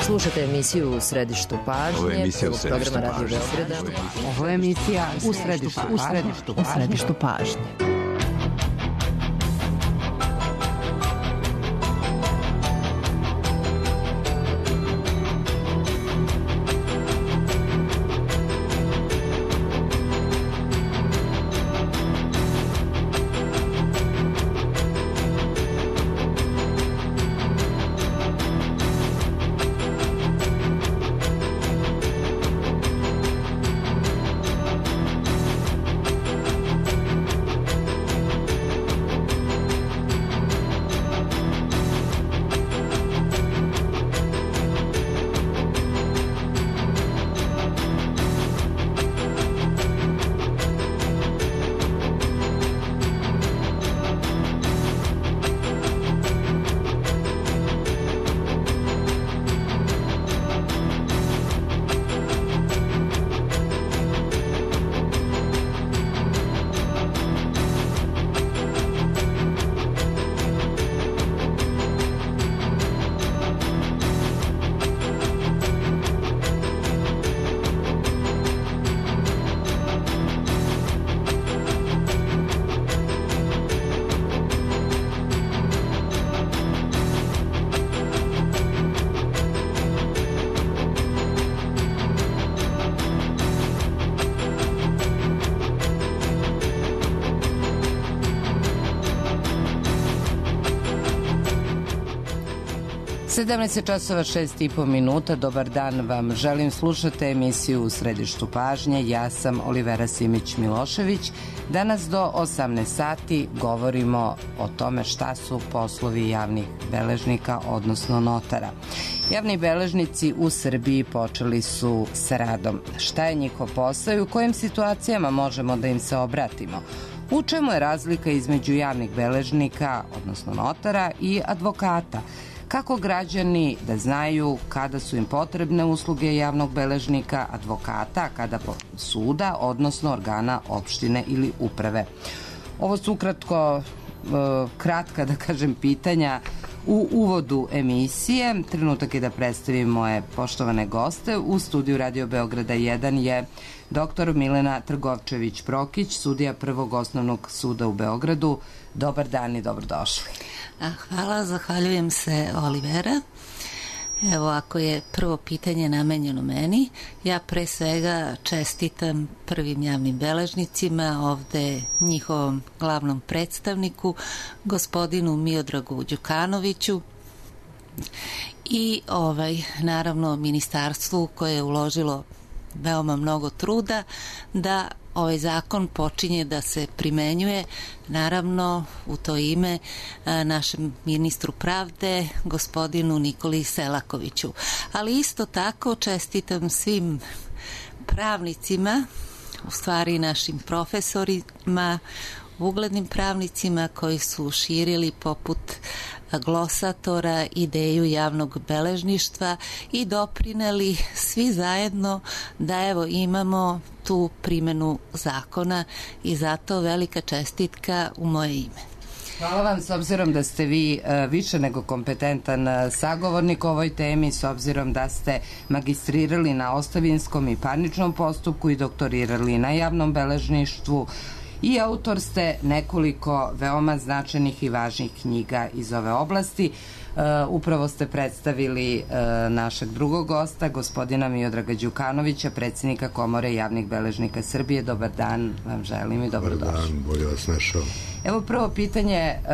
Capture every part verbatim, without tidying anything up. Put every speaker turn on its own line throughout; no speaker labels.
Slušate emisiju U središtu pažnje.
Ovo je emisija U središtu
programa Radio
pažnje.
Beograda.
Ovo je emisija U središtu pažnje. U središtu pažnje. sedamnaest časova šest i po minuta. Dobar dan vam želim. Slušate emisiju U središtu pažnje. Ja sam Olivera Simić-Milošević. Danas do osamnaest sati govorimo o tome šta su poslovi javnih beležnika, odnosno notara. Javni beležnici u Srbiji počeli su sa radom. Šta je njihov posao i u kojim situacijama možemo da im se obratimo? U čemu je razlika između javnih beležnika, odnosno notara, i advokata? Kako građani da znaju kada su im potrebne usluge javnog beležnika, advokata, kada suda, odnosno organa opštine ili uprave? Ovo su ukratko, kratka da kažem, pitanja u uvodu emisije. Trenutak je da predstavim moje poštovane goste. U studiju Radio Beograda jedan je doktor Milena Trgovčević-Prokić, sudija Prvog osnovnog suda u Beogradu. Dobar dan i dobrodošli.
Hvala, zahvaljujem se, Olivera. Evo, ako je prvo pitanje namenjeno meni, ja pre svega čestitam prvim javnim beležnicima, ovde njihovom glavnom predstavniku, gospodinu Miodragu Đukanoviću, i ovaj, naravno ministarstvu koje je uložilo veoma mnogo truda da ovaj zakon počinje da se primenjuje, naravno u to ime našem ministru pravde, gospodinu Nikoli Selakoviću. Ali isto tako čestitam svim pravnicima, u stvari našim profesorima, uglednim pravnicima koji su širili poput glosatora ideju javnog beležništva i doprineli svi zajedno da evo imamo tu primenu zakona, i zato velika čestitka u moje ime.
Hvala vam, s obzirom da ste vi više nego kompetentan sagovornik o ovoj temi, s obzirom da ste magistrirali na ostavinskom i parničnom postupku i doktorirali na javnom beležništvu, i autor ste nekoliko veoma značajnih i važnih knjiga iz ove oblasti. Uh, upravo ste predstavili uh, našeg drugog gosta, gospodina Miodraga Đukanovića, predsjednika Komore javnih beležnika Srbije. Dobar dan vam želim i dobrodošli.
Dobar dan, bolje vas našao.
Evo, prvo pitanje, uh,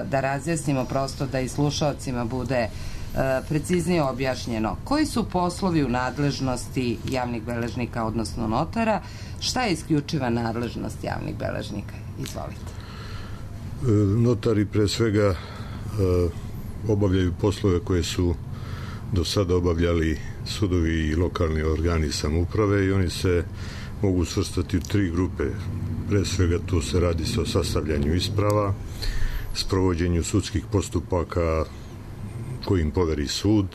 da razjasnimo prosto, da i slušalcima bude uh, preciznije objašnjeno. Koji su poslovi u nadležnosti javnih beležnika, odnosno notara? Šta je isključiva nadležnost javnih beležnika? Izvolite.
Notari pre svega obavljaju poslove koje su do sada obavljali sudovi i lokalni organi samouprave, i oni se mogu svrstati u tri grupe. Pre svega tu se radi se o sastavljanju isprava, sprovođenju sudskih postupaka kojim poveri sud,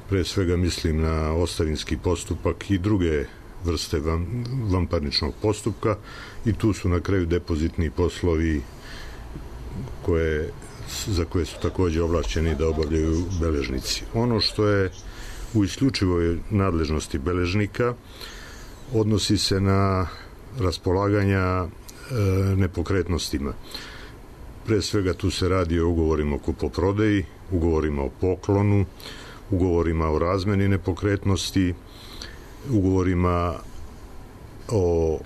pre svega mislim na ostavinski postupak i druge vrste van, vanparničnog postupka, i tu su na kraju depozitni poslovi koje, za koje su takođe ovlašćeni da obavljaju beležnici. Ono što je u isključivoj nadležnosti beležnika, odnosi se na raspolaganja e, nepokretnostima. Pre svega tu se radi o ugovorima o kupoprodaji, ugovorima o poklonu, ugovorima o razmeni nepokretnosti, ugovorima o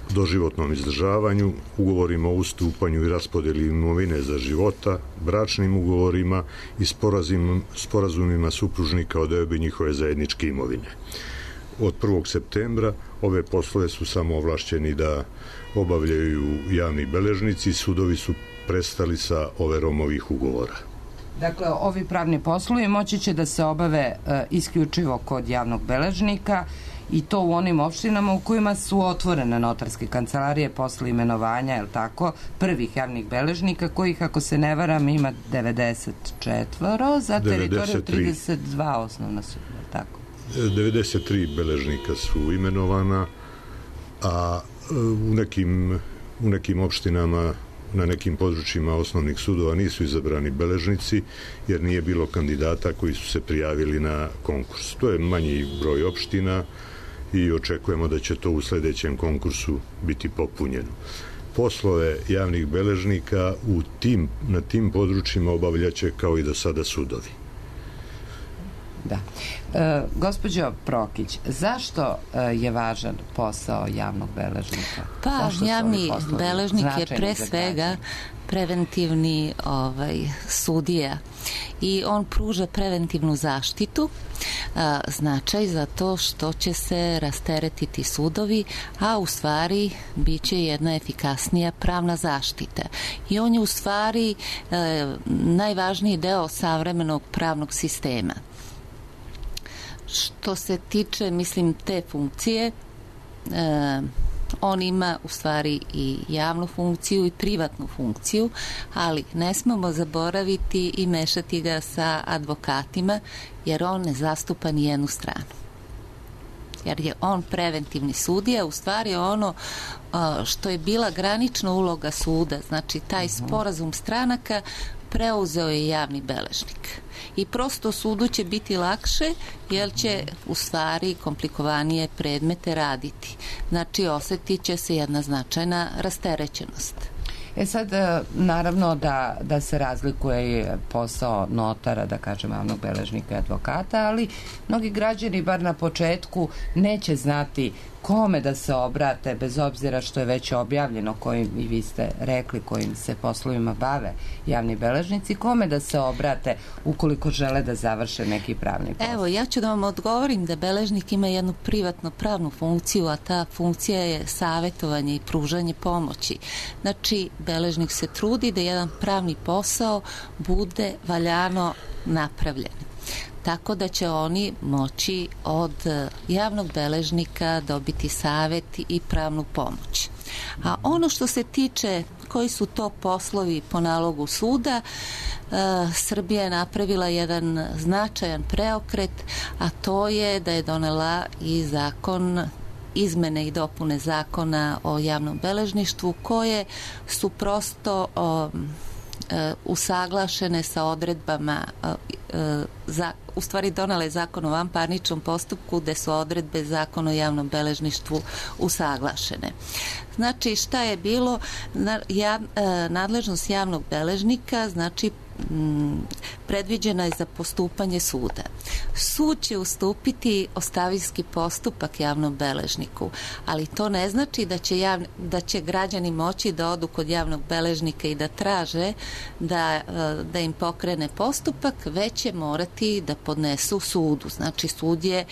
doživotnom izdržavanju, ugovorima o ustupanju i raspodeli imovine za života, bračnim ugovorima i sporazum, sporazumima supružnika o deobi njihove zajedničke imovine. Od prvog septembra ove poslove su samo ovlašćeni da obavljaju javni beležnici, sudovi su prestali sa overom ovih ugovora.
Dakle, ovi pravni poslovi moći će da se obave e, isključivo kod javnog beležnika i to u onim opštinama u kojima su otvorene notarske kancelarije posle imenovanja, je li tako, prvih javnih beležnika, kojih, ako se ne varam, ima devedeset četiri za teritoriju trideset dva osnovna suda, tako?
devedeset tri beležnika su imenovana, a u nekim, u nekim opštinama, na nekim područjima osnovnih sudova nisu izabrani beležnici, jer nije bilo kandidata koji su se prijavili na konkurs. To je manji broj opština i očekujemo da će to u sledećem konkursu biti popunjeno. Poslove javnih beležnika u tim, na tim područjima obavljaće kao i do sada sudovi.
Da. E, gospođo Prokić, zašto e, je važan posao javnog beležnika?
Pa, javni beležnik je pre svega preventivni ovaj, sudija i on pruža preventivnu zaštitu, a, značaj za to što će se rasteretiti sudovi, a u stvari bit će jedna efikasnija pravna zaštita. I on je u stvari e, najvažniji deo savremenog pravnog sistema. Što se tiče, mislim, te funkcije, e, on ima u stvari i javnu funkciju i privatnu funkciju, ali ne smemo zaboraviti i mešati ga sa advokatima, jer on ne zastupa ni jednu stranu. Jer je on preventivni sudija, u stvari ono što je bila granična uloga suda, znači taj sporazum stranaka preuzeo je javni beležnik. I prosto sudu će biti lakše, jer će u stvari komplikovanije predmete raditi. Znači, osetit će se jedna značajna rasterećenost.
E sad, naravno da, da se razlikuje posao notara, da kažem, javnog beležnika i advokata, ali mnogi građani, bar na početku, neće znati kome da se obrate, bez obzira što je već objavljeno, kojim, i vi ste rekli, kojim se poslovima bave javni beležnici, kome da se obrate ukoliko žele da završe neki pravni posao.
Evo, ja ću da vam odgovorim da beležnik ima jednu privatno pravnu funkciju, a ta funkcija je savetovanje i pružanje pomoći. Znači, beležnik se trudi da jedan pravni posao bude valjano napravljen. Tako da će oni moći od javnog beležnika dobiti savet i pravnu pomoć. A ono što se tiče koji su to poslovi po nalogu suda, e, Srbija je napravila jedan značajan preokret, a to je da je donela i zakon, izmene i dopune zakona o javnom beležništvu, koje su prosto o, e, usaglašene sa odredbama e, za, u stvari donale zakon o vanparničnom postupku, gde su odredbe zakona o javnom beležništvu usaglašene. Znači, šta je bilo? Na, ja, e, nadležnost javnog beležnika, znači, m, predviđena je za postupanje suda. Sud će ustupiti ostavinski postupak javnom beležniku, ali to ne znači da će, javni, da će građani moći da odu kod javnog beležnika i da traže da, da im pokrene postupak, već će morati da podnesu sudu. Znači, sud je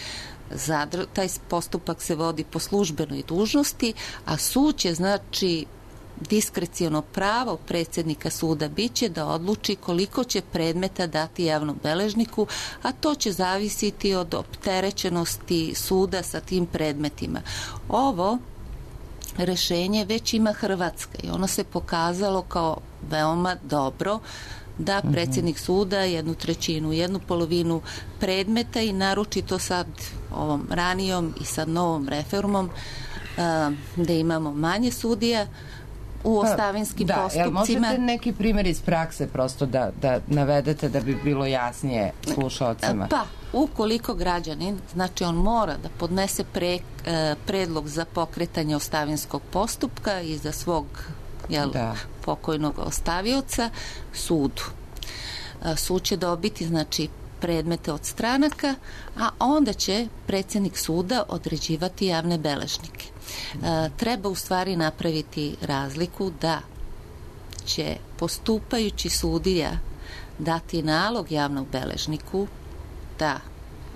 zadr... taj postupak se vodi po službenoj dužnosti, a sud će, znači, diskreciono pravo predsjednika suda biće da odluči koliko će predmeta dati javnom beležniku, a to će zavisiti od opterećenosti suda sa tim predmetima. Ovo rešenje već ima Hrvatska i ono se pokazalo kao veoma dobro, da predsjednik suda jednu trećinu, jednu polovinu predmeta i naročito sad ovom ranijom i sad novom reformom, da imamo manje sudija, u ostavinskim
da,
postupcima.
Jel možete neki primjer iz prakse prosto da, da navedete da bi bilo jasnije slušalcima?
Pa, ukoliko građanin, znači on mora da podnese pre, predlog za pokretanje ostavinskog postupka i za svog jel, da. pokojnog ostavioca sudu. Sud će dobiti, znači, predmete od stranaka, a onda će predsjednik suda određivati javne beležnike. E, treba u stvari napraviti razliku da će postupajući sudija dati nalog javnog beležniku da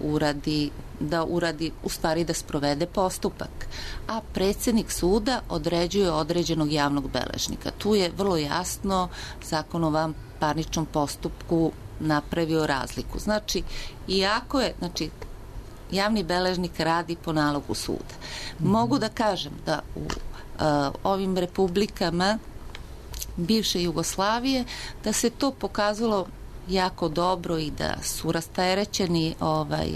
uradi, da uradi, u stvari da sprovede postupak, a predsjednik suda određuje određenog javnog beležnika. Tu je vrlo jasno Zakon o vanparničnom postupku napravio razliku. Znači, iako je, znači, javni beležnik radi po nalogu suda. Mogu da kažem da u uh, ovim republikama bivše Jugoslavije da se to pokazalo jako dobro i da su rasterećeni ovaj,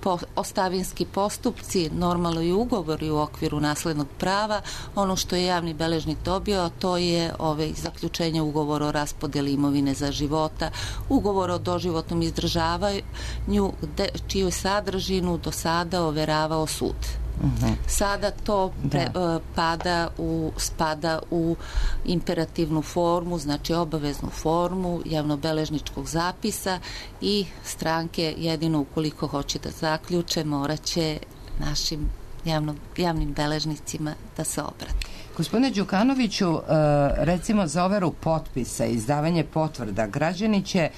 po, ostavinski postupci, normalno i ugovori u okviru naslednog prava. Ono što je javni beležnik dobio, to je ovaj, zaključenje ugovora o raspodjeli imovine za života, ugovor o doživotnom izdržavanju, gde, čiju sadržinu do sada overavao sud. Uh-huh. Sada to pre, uh, pada u, spada u imperativnu formu, znači obaveznu formu javnobeležničkog zapisa i stranke jedino ukoliko hoće da zaključe morat će našim javno, javnim beležnicima da se obrate.
Gospodine Đukanoviću, recimo za overu potpisa i izdavanje potvrda građani će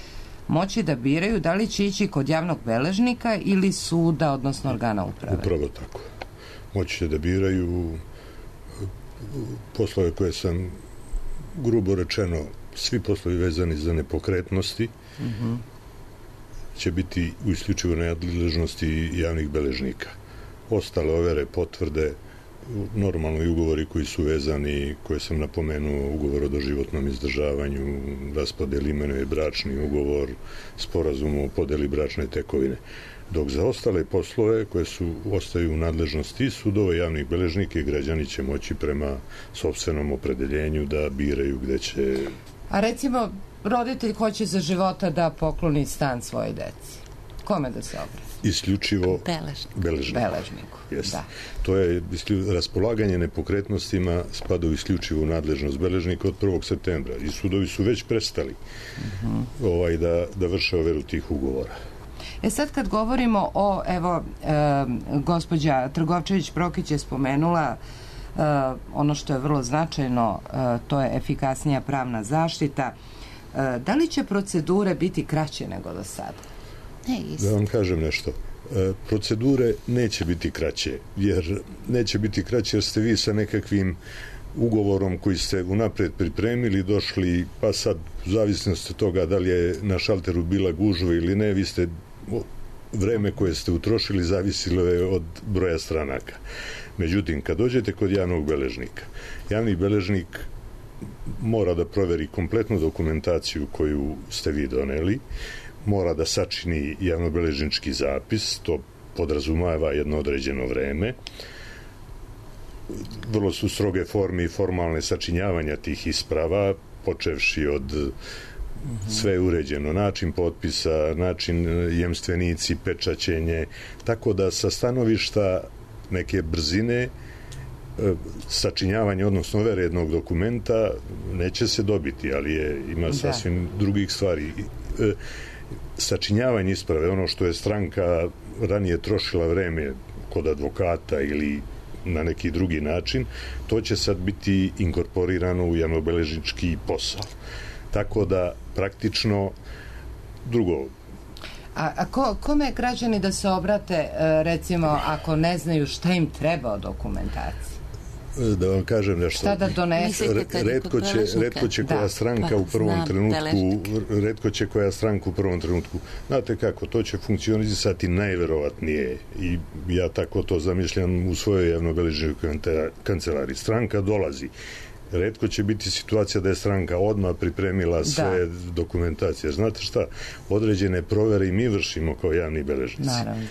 moći da biraju da li će ići kod javnog beležnika ili suda, odnosno organa uprave.
Upravo tako. Moći će da biraju poslove koje sam grubo rečeno, svi poslovi vezani za nepokretnosti uh-huh. će biti u isključivo nadležnosti javnih beležnika. Ostale overe, potvrde, normalno i ugovori koji su vezani, koje sam napomenuo, ugovor o doživotnom izdržavanju, raspodjeli imenuje bračni ugovor, sporazum o podeli bračne tekovine. Dok za ostale poslove koje su ostaju u nadležnosti sudova, javnih beležnika i građani će moći prema sopstvenom opredeljenju da biraju gde će...
A recimo, roditelj hoće za života da pokloni stan svoje deci. Kome da se obrati?
Isključivo
beležniku.
Beležniku.
Beležniku.
Da. To je raspolaganje nepokretnostima spada u isključivu nadležnost beležnika od prvog septembra i sudovi su već prestali uh-huh. ovaj, da, da vrše overu tih ugovora.
E sad kad govorimo o, evo, e, gospođa Trgovčević-Prokić je spomenula e, ono što je vrlo značajno, e, to je efikasnija pravna zaštita. E, da li će procedure biti kraće nego do sada?
Ne,
da vam kažem nešto. E, procedure neće biti kraće, jer neće biti kraće jer ste vi sa nekakvim ugovorom koji ste unapred pripremili, došli, pa sad u zavisnosti od toga da li je na šalteru bila gužva ili ne, vi ste vreme koje ste utrošili zavisilo je od broja stranaka. Međutim, kad dođete kod javnog beležnika, javni beležnik mora da proveri kompletnu dokumentaciju koju ste vi doneli, mora da sačini javnobeležnički zapis, to podrazumeva jedno određeno vreme. Vrlo su stroge forme i formalne sačinjavanja tih isprava, počevši od sve je uređeno, način potpisa, način jemstvenici, pečaćenje, tako da sa stanovišta neke brzine sačinjavanje, odnosno overe jednog dokumenta neće se dobiti, ali je, ima sasvim da. drugih stvari. Sačinjavanje isprave, ono što je stranka ranije trošila vreme kod advokata ili na neki drugi način, to će sad biti inkorporirano u javnobeležnički posao. Tako da praktično drugo.
A, a ko, kome građani da se obrate, recimo, ako ne znaju šta im treba od dokumentacije?
Da vam kažem nešto.
Šta da donesu?
Retko će, retko će koja da, stranka pa, u prvom znam, trenutku, retko će koja stranka u prvom trenutku. Znate kako, to će funkcionisati najverovatnije i ja tako to zamišljam u svojoj javnobeležničkoj kancelariji. Stranka dolazi. Retko će biti situacija da je stranka odmah pripremila sve da. dokumentacije. Znate šta? Određene provere i mi vršimo kao javni beležnici.
Naravno.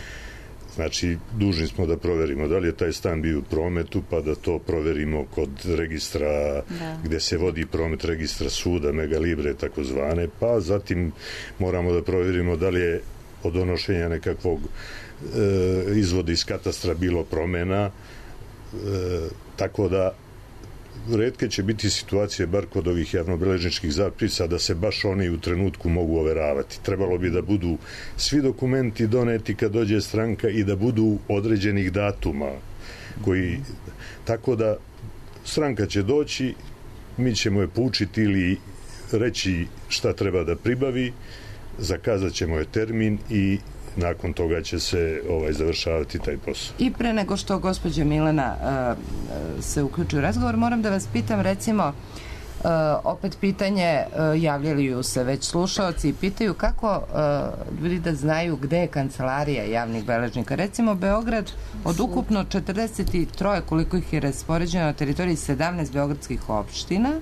Znači, dužni smo da proverimo da li je taj stan bio u prometu, pa da to proverimo kod registra, da. Gde se vodi promet, registra suda, Megalibre, takozvane, pa zatim moramo da proverimo da li je od donošenja nekakvog e, izvoda iz katastra bilo promena, e, tako da retke će biti situacije, bar kod ovih javnobeležničkih zapisa, da se baš oni u trenutku mogu overavati. Trebalo bi da budu svi dokumenti doneti kad dođe stranka i da budu određenih datuma koji, tako da stranka će doći, mi ćemo je poučiti ili reći šta treba da pribavi, zakazat ćemo je termin i nakon toga će se ovaj završavati taj posao.
I pre nego što gospođa Milena uh, se uključi u razgovor, moram da vas pitam, recimo, uh, opet pitanje, uh, javljaju se već slušaoci i pitaju kako uh, ljudi da znaju gde je kancelarija javnih beležnika. Recimo, Beograd od ukupno četrdeset tri, koliko ih je raspoređeno na teritoriji sedamnaest beogradskih opština.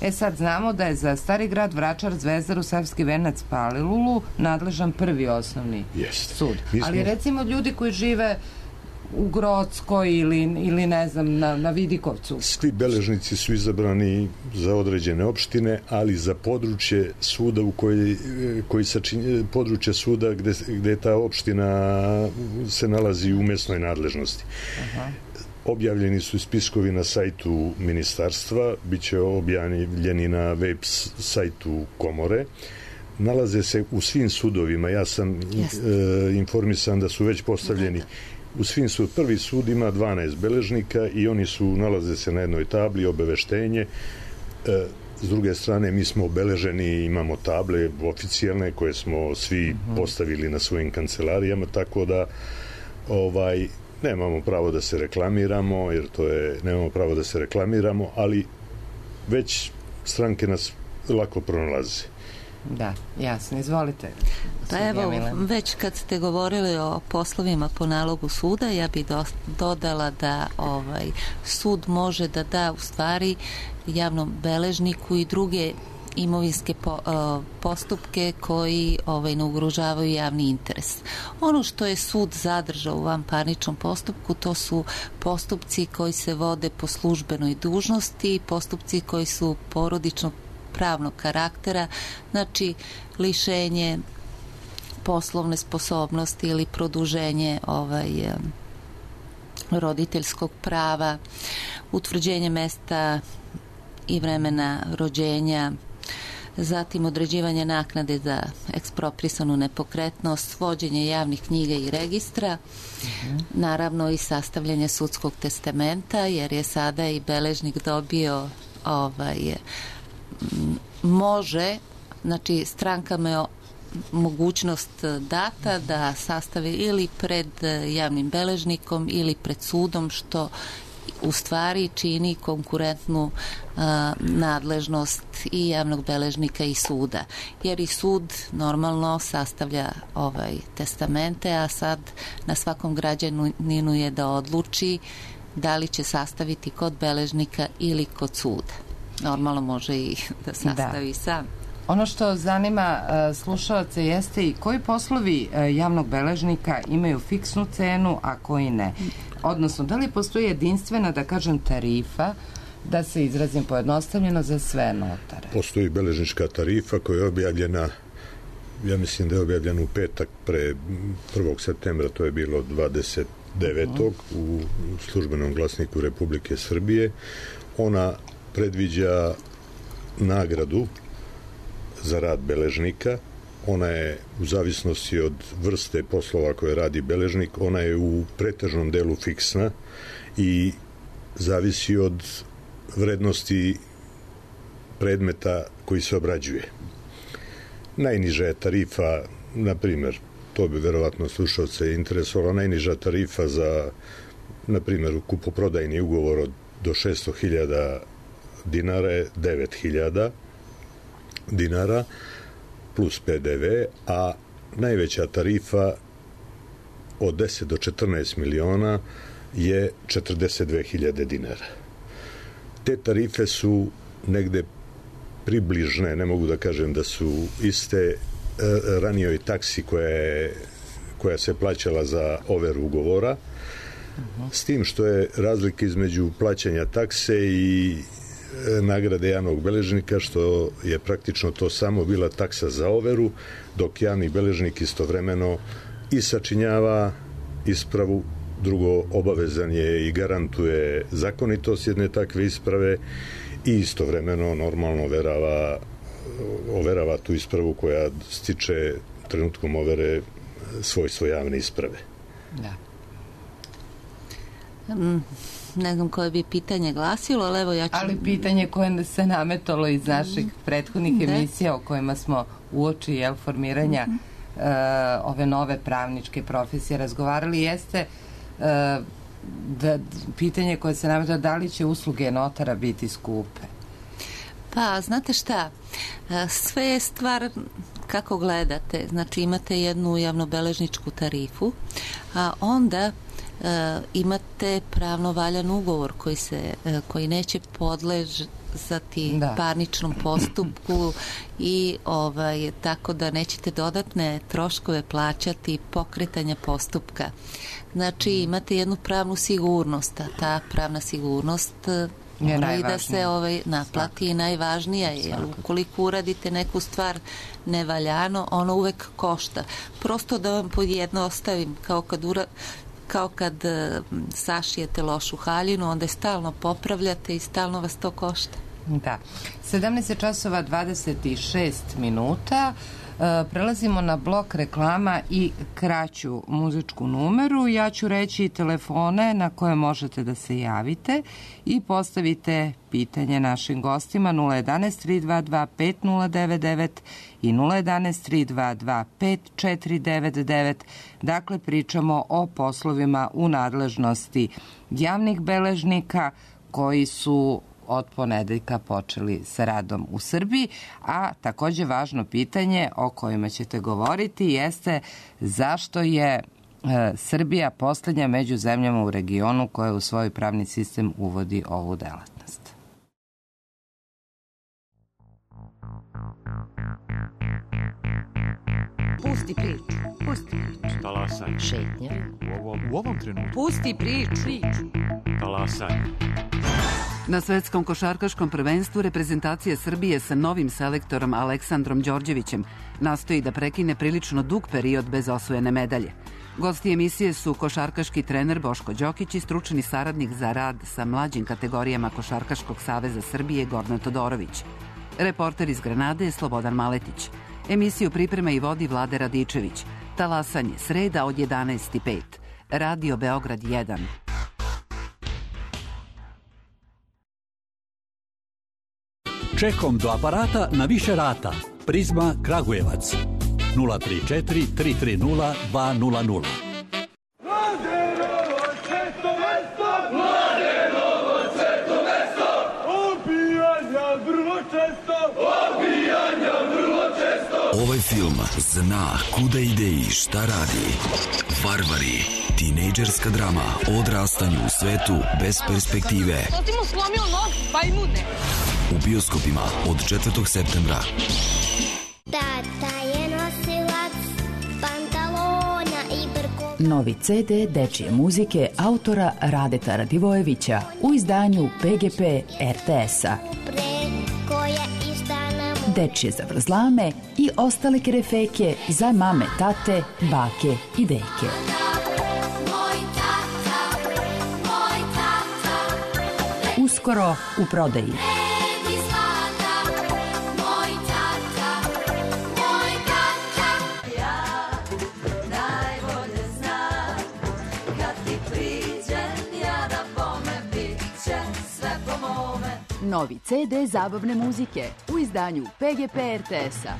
E sad znamo da je za Stari grad, Vračar, Zvezdaru, Savski Venac, Palilulu nadležan prvi osnovni
Jeste.
sud.
Smo...
Ali recimo ljudi koji žive u Grockoj ili, ili ne znam, na, na Vidikovcu.
Svi beležnici su izabrani za određene opštine, ali za područje suda u koji, koji sačinje, područje suda gde, gde ta opština se nalazi u mesnoj nadležnosti. Aha. Objavljeni su spiskovi na sajtu ministarstva, bit će objavljeni na web sajtu komore. Nalaze se u svim sudovima. Ja sam e, informisan da su već postavljeni u svim sud. Prvi sud ima dvanaest beležnika i oni su, nalaze se na jednoj tabli, obaveštenje. E, s druge strane, mi smo obeleženi, imamo table oficijalne koje smo svi uh-huh. postavili na svojim kancelarijama, tako da ovaj nemamo pravo da se reklamiramo, jer to je, nemamo pravo da se reklamiramo, ali već stranke nas lako pronalaze.
Da, jasno, izvolite.
Pa evo, već kad ste govorili o poslovima po nalogu suda, ja bih do, dodala da ovaj sud može da da u stvari javnom beležniku i druge imovinske po, uh, postupke koji ovaj, ne ugrožavaju javni interes. Ono što je sud zadržao u vanparničnom postupku, to su postupci koji se vode po službenoj dužnosti, postupci koji su porodičnog pravnog karaktera, znači lišenje poslovne sposobnosti ili produženje ovaj, roditeljskog prava, utvrđenje mesta i vremena rođenja, zatim određivanje naknade za eksproprisanu nepokretnost, vođenje javnih knjiga i registra, uh-huh. naravno i sastavljanje sudskog testamenta, jer je sada i beležnik dobio ovaj, može, znači strankama je mogućnost data da sastave ili pred javnim beležnikom ili pred sudom, što u stvari čini konkurentnu a, nadležnost i javnog beležnika i suda. Jer i sud normalno sastavlja ovaj testamente, a sad na svakom građaninu je da odluči da li će sastaviti kod beležnika ili kod suda. Normalno može i da sastavi da. sam.
Ono što zanima uh, slušalce jeste i koji poslovi uh, javnog beležnika imaju fiksnu cenu, a koji ne. Odnosno, da li postoji jedinstvena, da kažem, tarifa, da se izrazim pojednostavljeno, za sve notare?
Postoji beležnička tarifa koja je objavljena, ja mislim da je objavljena u petak pre prvog septembra, to je bilo dvadeset devetog Uh-huh. u službenom glasniku Republike Srbije. Ona predviđa nagradu za rad beležnika. Ona je u zavisnosti od vrste poslova koje radi beležnik, ona je u pretežnom delu fiksna i zavisi od vrednosti predmeta koji se obrađuje. Najniža je tarifa, na primjer, to bi verovatno slušalce interesovalo, najniža tarifa za, na primjer, kupoprodajni ugovor od do šesto hiljada dinara je devet hiljada dinara plus pe de ve, a najveća tarifa od deset do četrnaest miliona je četrdeset dve hiljade dinara. Te tarife su negde približne, ne mogu da kažem da su iste ranijoj taksi koja je koja se plaćala za overu ugovora, s tim što je razlika između plaćanja takse i nagrade javnog beležnika, što je praktično to samo bila taksa za overu, dok javni beležnik istovremeno i sačinjava ispravu, drugo, obavezan je i garantuje zakonitost jedne takve isprave i istovremeno normalno overava, overava tu ispravu koja stiče trenutkom overe svojstvo javne isprave.
Da.
Mm, ne znam koje bi pitanje glasilo, ali evo ja ću...
Ali pitanje koje se nametalo iz naših prethodnih
da.
emisija o kojima smo uoči jel, formiranja mm -hmm. uh, ove nove pravničke profesije razgovarali jeste uh, da, pitanje koje se nametalo da li će usluge notara biti skupe.
Pa, znate šta, sve je stvar kako gledate. Znači, imate jednu javnobeležničku tarifu, a onda e, imate pravno valjan ugovor koji, se, e, koji neće podležati da. parničnom postupku i ovaj, tako da nećete dodatne troškove plaćati pokretanja postupka. Znači, imate jednu pravnu sigurnost, a ta pravna sigurnost mora i da se ovaj, naplati i najvažnija je, jer ukoliko uradite neku stvar nevaljano, ono uvek košta. Prosto da vam pojednostavim, kao kad, ura, kao kad uh, sašijete lošu haljinu, onda je stalno popravljate i stalno vas to košta.
Da. sedamnaest časova dvadeset šest minuta. Prelazimo na blok reklama i kraću muzičku numeru. Ja ću reći telefone na koje možete da se javite i postavite pitanje našim gostima nula jedanaest tri dva dva pet nula devet devet i nula jedanaest tri dva dva pet četiri devet devet. Dakle, pričamo o poslovima u nadležnosti javnih beležnika koji su od ponedeljka počeli sa radom u Srbiji, a takođe važno pitanje o kojima ćete govoriti jeste zašto je e, Srbija poslednja među zemljama u regionu koja u svoj pravni sistem uvodi ovu delatnost.
Pusti priču. Pusti priču.
Talasaj.
Šetnja.
U ovom, u ovom trenutku.
Pusti priču. priču.
Talasaj.
Na svetskom košarkaškom prvenstvu reprezentacija Srbije sa novim selektorom Aleksandrom Đorđevićem nastoji da prekine prilično dug period bez osvojene medalje. Gosti emisije su košarkaški trener Boško Đokić i stručni saradnik za rad sa mlađim kategorijama Košarkaškog saveza Srbije Gordana Todorović. Reporter iz Granade je Slobodan Maletić. Emisiju priprema i vodi Vlade Radičević. Talasanje sreda od jedanaest i pet. Radio Beograd jedan.
Čekom do aparata na više rata. Prizma Kragujevac. nula tri četiri tri tri nula dva nula nula.
Mladenovo često mesto! Mladenovo često mesto! Obijanja vrlo često! Obijanja vrlo često!
Ovaj film zna kuda ide i šta radi. Varvari. Tinejdžerska drama o odrastanju u svetu bez perspektive.
To ti mu slomio nos, bajmune.
U bioskopima od četvrtog septembra.
Tata je nosilac pantalona i brkova.
Novi ce de dečije muzike autora Radeta Radivojevića u izdanju pe ge pe er te es-a. Dečije zavrzlame i ostale kerefeke za mame, tate, bake i deke. Uskoro u prodaji. Novi ce de zabavne muzike u izdanju pe ge pe er te es-a.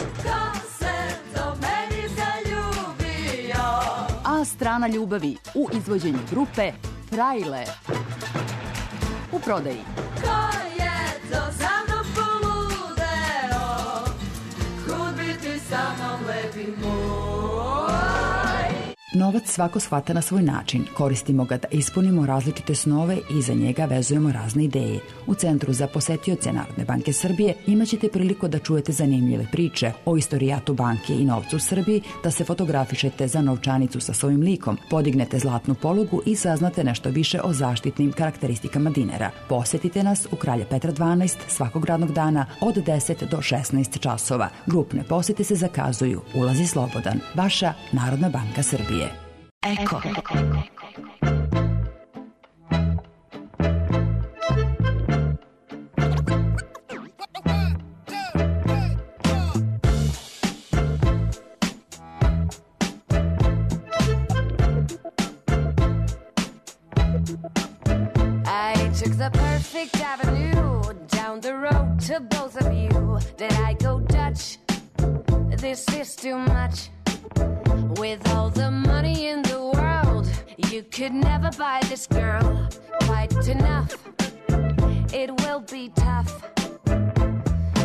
A strana ljubavi u izvođenju grupe Trailer. U prodaji.
Ko je to za mnom poludeo? Kud biti sa mnom lepi moj?
Novac svako shvata na svoj način. Koristimo ga da ispunimo različite snove i za njega vezujemo razne ideje. U Centru za posetioce Narodne banke Srbije imaćete priliku da čujete zanimljive priče o istorijatu banke i novcu u Srbiji, da se fotografišete za novčanicu sa svojim likom, podignete zlatnu polugu i saznate nešto više o zaštitnim karakteristikama dinara. Posetite nas u Kralja Petra dvanaest svakog radnog dana od deset do šesnaest časova. Grupne posete se zakazuju. Ulaz je slobodan. Vaša Narodna banka Srbije. Eko.
I took the perfect avenue down the road to both of you. Did I go Dutch? This is too much. With all the money in the world, you could never buy this girl quite enough. It will be tough.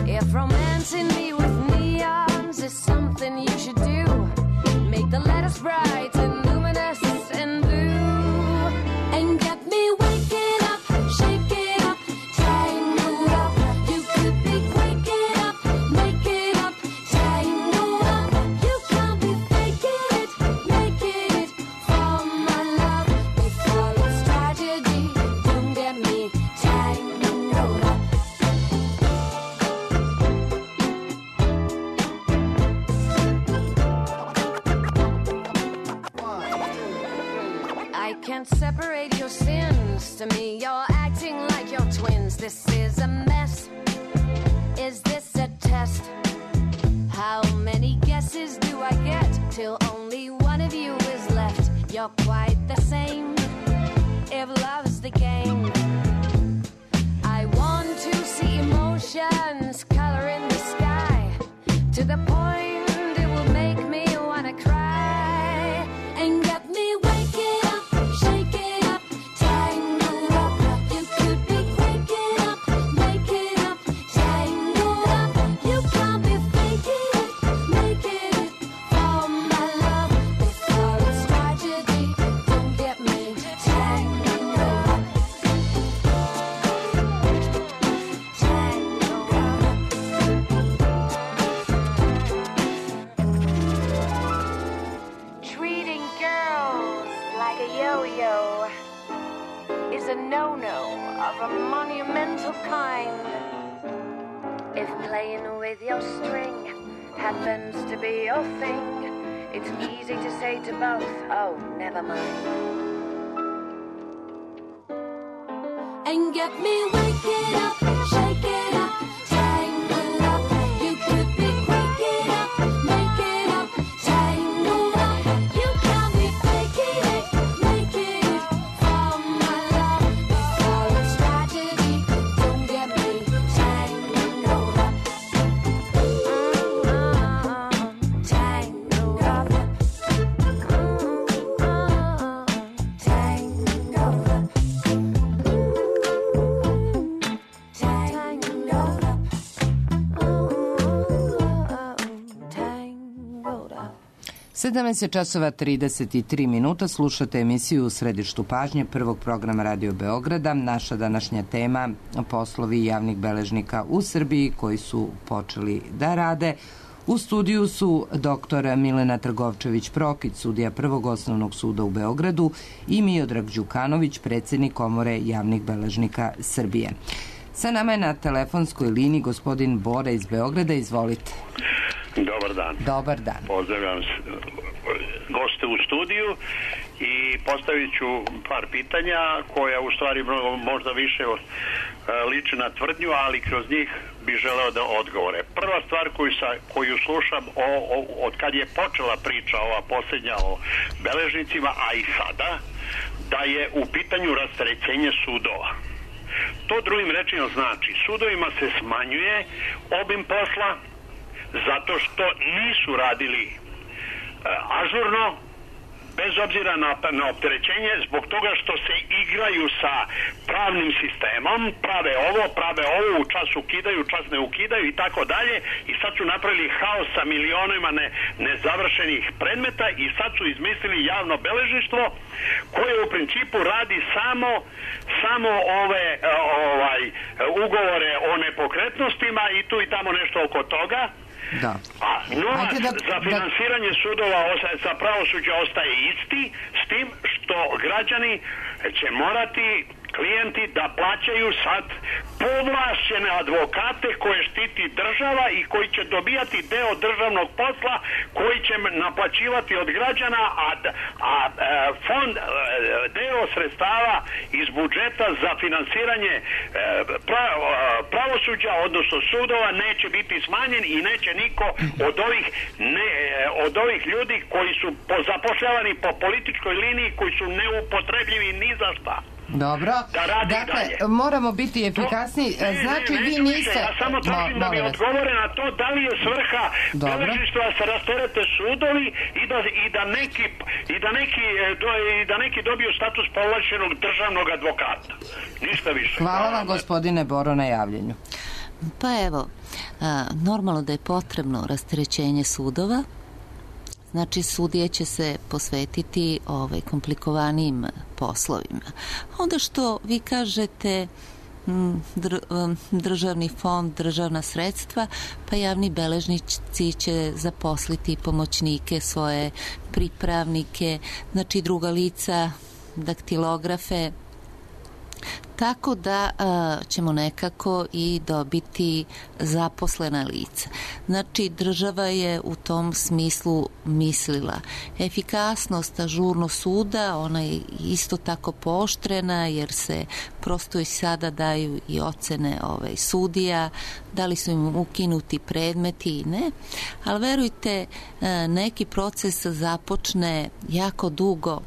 If romancing me with neons is something you should do, make the letters bright and luminous and blue, and get me waking up, shaking up, tangled up. You could be waking up, making up, tangled up. You can't be faking it, making it for my love. Before it's tragedy, don't get me tangled up. I can't separate your sins. To me, you're acting like you're twins. This is a mess. Is this a test? How many guesses do I get till only one of you is left? You're quite the same. If love's the game, I want to see emotions color in the sky to the point it will make me wanna cry and get me waking up, shaking up, tangled up. You could be waking up, making up, tangled up. You can't be faking it, making it for my love. Before it's tragedy, don't get me tangled up. Tangled up. Treating girls like a yo-yo is a no-no of a monumental kind. If playing with your string happens to be your thing, it's easy to say to both, oh, never mind. And get me waking up, shaking up, tangled up. You could be waking up, making up, tangled up. You can't be faking it, making it for my love. Before it's tragedy, don't get me tangled up. Mm-hmm. Tangled up. Mm-hmm. Tangled up. Tangled up. Tangled up.
sedamnaest časova trideset tri minuta, slušate emisiju u središtu pažnje prvog programa Radio Beograda. Naša današnja tema, poslovi javnih beležnika u Srbiji koji su počeli da rade. U studiju su doktor Milena Trgovčević-Prokić, sudija Prvog osnovnog suda u Beogradu, i Miodrag Đukanović, predsjednik Komore javnih beležnika Srbije. Sa nama je na telefonskoj liniji gospodin Bora iz Beograda. Izvolite.
Dobar dan.
Dobar dan.
Pozdravljam goste u studiju i postavit ću par pitanja koja u stvari možda više liče na tvrdnju, ali kroz njih bi želeo da odgovore. Prva stvar koju, sa, koju slušam o, o, od kad je počela priča ova posljednja o beležnicima, a i sada, da je u pitanju rasterećenje sudova. To drugim rečima znači, sudovima se smanjuje obim posla zato što nisu radili e, ažurno, bez obzira na, na opterećenje, zbog toga što se igraju sa pravnim sistemom, prave ovo, prave ovo, u čas ukidaju, čas ne ukidaju i tako dalje, i sad su napravili haos sa milionima ne, nezavršenih predmeta i sad su izmislili javno beležništvo koje u principu radi samo samo ove ovaj ugovore o nepokretnostima i tu i tamo nešto oko toga.
Da.
A novac
da,
za finansiranje da... sudova za pravosuđe ostaje isti, s tim što građani će morati, klijenti, da plaćaju sad povlašćene advokate koje štiti država i koji će dobijati deo državnog posla koji će naplaćivati od građana, a, a fond, deo sredstava iz budžeta za finansiranje pravosuđa, odnosno sudova, neće biti smanjen i neće niko od ovih, ne, od ovih ljudi koji su zapošljavani po političkoj liniji, koji su neupotrebljivi ni za šta.
Dobro,
da
dakle,
dalje.
Moramo biti efikasni,
ne,
znači
ne, ne,
vi niste...
Ja samo tražim da mi odgovore na to da li je svrha beležništva da se rasterete sudovi i da, i da, neki, i da, neki, i da neki dobiju status povlašćenog državnog advokata. Ništa više.
Hvala vam, gospodine Boro, na javljenju.
Pa evo, a, normalno da je potrebno rasterećenje sudova. Znači, sudije će se posvetiti ovaj, komplikovanijim poslovima. Onda što vi kažete dr, državni fond, državna sredstva, pa javni beležnici će zaposliti pomoćnike, svoje pripravnike, znači druga lica, daktilografe, tako da a, ćemo nekako i dobiti zaposlena lica. Znači, država je u tom smislu mislila. Efikasnost, ažurnost suda, ona je isto tako pooštrena, jer se prosto i sada daju i ocene ovaj, sudija, da li su im ukinuti predmeti i ne, ali verujte, a, neki proces započne jako dugo,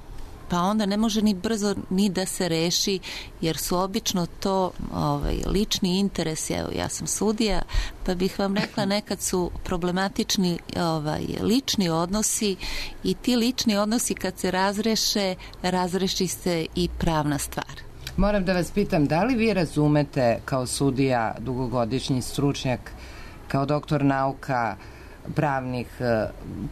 pa onda ne može ni brzo ni da se reši, jer su obično to ovaj, lični interesi. Evo, ja sam sudija, pa bih vam rekla, nekad su problematični ovaj, lični odnosi i ti lični odnosi kad se razreše, razreši se i pravna stvar.
Moram da vas pitam, da li vi razumete kao sudija, dugogodišnji stručnjak, kao doktor nauka, pravnih,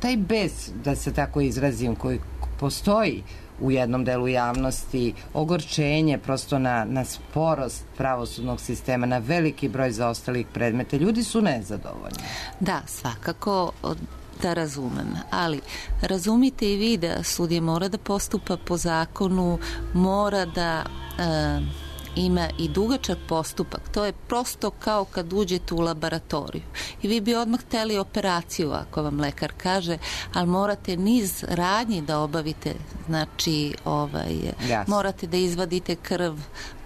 taj bes, da se tako izrazim, koji postoji u jednom delu javnosti, ogorčenje prosto na, na sporost pravosudnog sistema, na veliki broj zaostalih predmeta. Ljudi su nezadovoljni.
Da, svakako da razumem, ali razumite i vi da sudija mora da postupa po zakonu, mora da e, ima i dugačak postupak. To je prosto kao kad uđete u laboratoriju i vi bi odmah hteli operaciju, ako vam lekar kaže, ali morate niz radnji da obavite, znači ovaj, yes. morate da izvadite krv,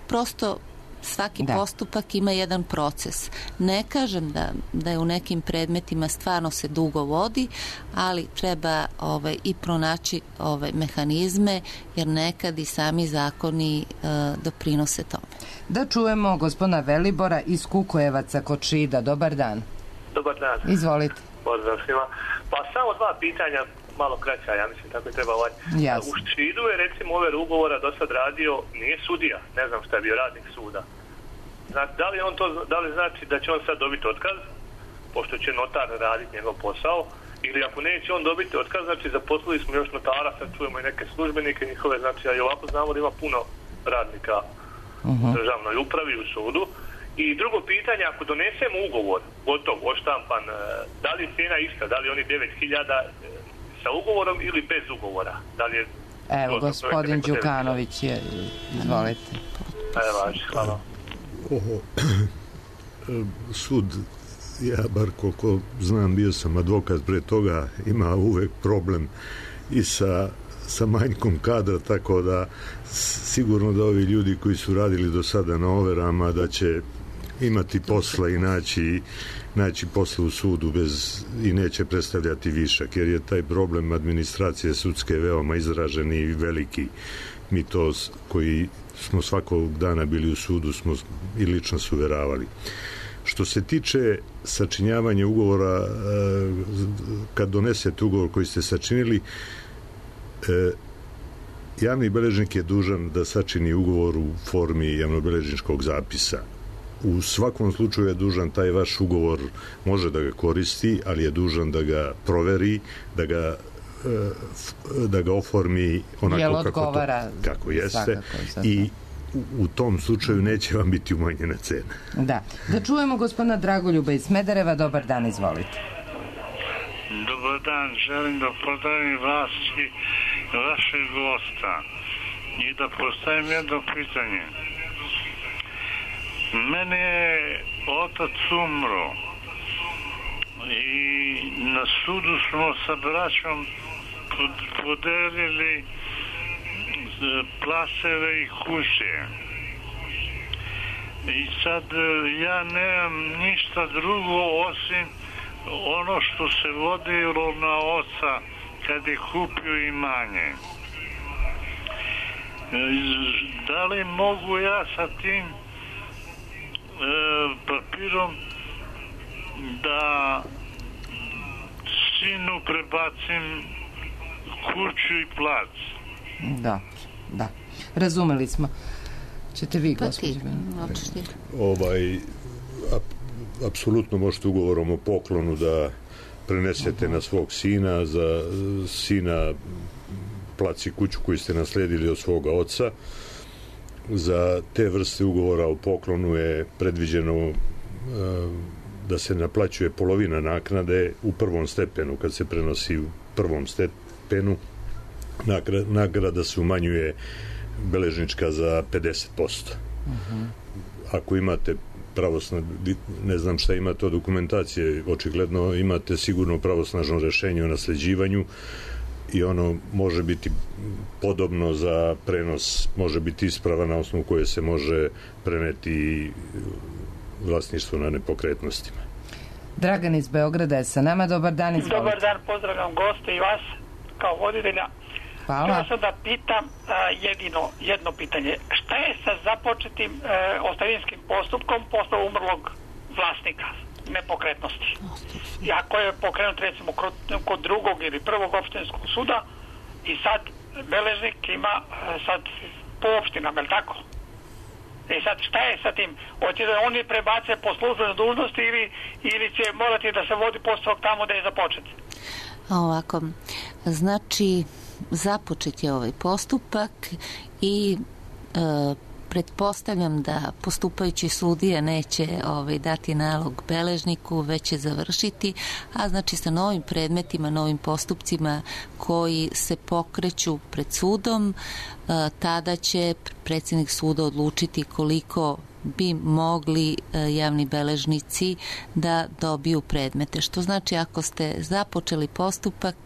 prosto svaki da. postupak ima jedan proces. Ne kažem da, da je u nekim predmetima stvarno se dugo vodi, ali treba ovaj, i pronaći ovaj, mehanizme, jer nekad i sami zakoni uh, doprinose tome.
Da čujemo gospodina Velibora iz Kukojevaca kod Šida. Dobar dan.
Dobar dan.
Izvolite.
Pozdrav svima. Pa samo dva pitanja, malo kraća, ja mislim tako je treba ovaj. U Šidu je recimo ove ugovora do sad radio, nije sudija, ne znam šta je bio, radnik suda. Znači, da li on to, da li znači da će on sad dobiti otkaz, pošto će notar raditi njegov posao, ili ako neće on dobiti otkaz, znači zaposlili smo još notara, sad čujemo i neke službenike njihove, znači a i ovako znamo da ima puno radnika uh-huh. u državnoj upravi, u sudu. I drugo pitanje, ako donesemo ugovor, gotov, oštampan, da li je cijena ista, da li oni devet hiljada sa ugovorom ili bez ugovora? Da li je...
Evo, gospodin Đukanović je, izvolite.
Evo, važi, hvala.
Oho, sud, ja bar koliko znam, bio sam advokat pre toga, ima uvek problem i sa, sa manjkom kadra, tako da sigurno da ovi ljudi koji su radili do sada na overama da će imati posla i naći, naći posla u sudu bez, i neće predstavljati višak, jer je taj problem administracije sudske veoma izražen i veliki. Mi to koji smo svakog dana bili u sudu smo i lično suveravali. Što se tiče sačinjavanja ugovora, kad donesete ugovor koji ste sačinili, E, javni beležnik je dužan da sačini ugovor u formi javnobeležničkog zapisa. U svakom slučaju je dužan taj vaš ugovor, može da ga koristi, ali je dužan da ga proveri, da ga da ga oformi onako kako, to, kako jeste i u, u tom slučaju neće vam biti umanjena cena.
Da. Da čujemo gospodina Dragoljuba iz Smedereva. Dobar dan, izvolite.
Dobar dan, želim da pozdravim vas i vašeg gosta i da postavim jedno pitanje. Mene je otac umro i na sudu smo sa braćom podelili placeve i kuće. I sad ja nemam ništa drugo osim ono što se vodilo na oca kad je kupio imanje. Da li mogu ja sa tim e, papirom da sinu prebacim kuću i plac?
Da, da. Razumeli smo. Ćete vi, gospođe?
Ovaj, ap, apsolutno možete ugovorom o poklonu da prenesete uh-huh. na svog sina, za sina plac i kuću koju ste nasledili od svoga oca. Za te vrste ugovora o poklonu je predviđeno uh, da se naplaćuje polovina naknade u prvom stepenu, kad se prenosi u prvom stepenu. Nagrada se umanjuje beležnička za pedeset posto. Uh-huh. Ako imate pravosna, ne znam šta imate od dokumentacije, očigledno imate sigurno pravosnažno rešenje o nasleđivanju i ono može biti podobno za prenos, može biti isprava na osnovu koje se može preneti vlasništvo na nepokretnostima.
Dragan iz Beograda je sa nama. Dobar dan, izvolite.
Dobar dan, pozdravljam goste i vas kao voditelja.
Hvala.
Htio sam da pitam uh, jedino, jedno pitanje. Šta je sa započetim uh, ostavinskim postupkom posle umrlog vlasnika nepokretnosti? I ako je pokrenut recimo kod, kod drugog ili prvog opštinskog suda i sad beležnik ima uh, sad po opštinama, je li tako? I sad šta je sa tim? Hoće da oni prebace po službenoj dužnosti ili, ili će morati da se vodi postupak tamo da je započet?
Ovako, znači započet je ovaj postupak i e, pretpostavljam da postupajući sudija neće ovaj, dati nalog beležniku, već će završiti, a znači sa novim predmetima, novim postupcima koji se pokreću pred sudom, e, tada će predsjednik suda odlučiti koliko bi mogli javni beležnici da dobiju predmete. Što znači ako ste započeli postupak,